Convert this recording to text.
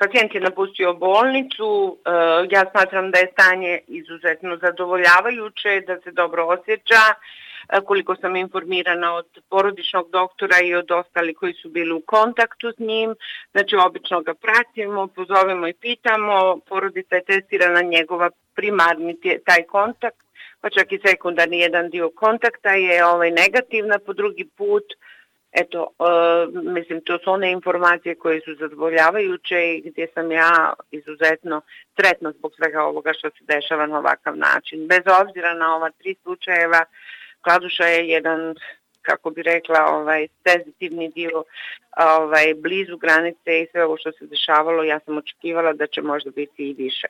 pacijent je napustio bolnicu, ja smatram da je stanje izuzetno zadovoljavajuće, da se dobro osjeća, koliko sam informirana od porodičnog doktora i od ostalih koji su bili u kontaktu s njim. Znači, obično ga pratimo, pozovemo i pitamo, porodica je testirana, njegova primarni taj kontakt, pa čak i sekundarni jedan dio kontakta je negativna po drugi put. Eto, mislim, to su one informacije koje su zadovoljavajuće i gdje sam ja izuzetno sretna zbog svega ovoga što se dešava na ovakav način. Bez obzira na ova 3 slučajeva, Kladuša je jedan, kako bi rekla, senzitivni dio blizu granice i sve ovo što se dešavalo, ja sam očekivala da će možda biti i više.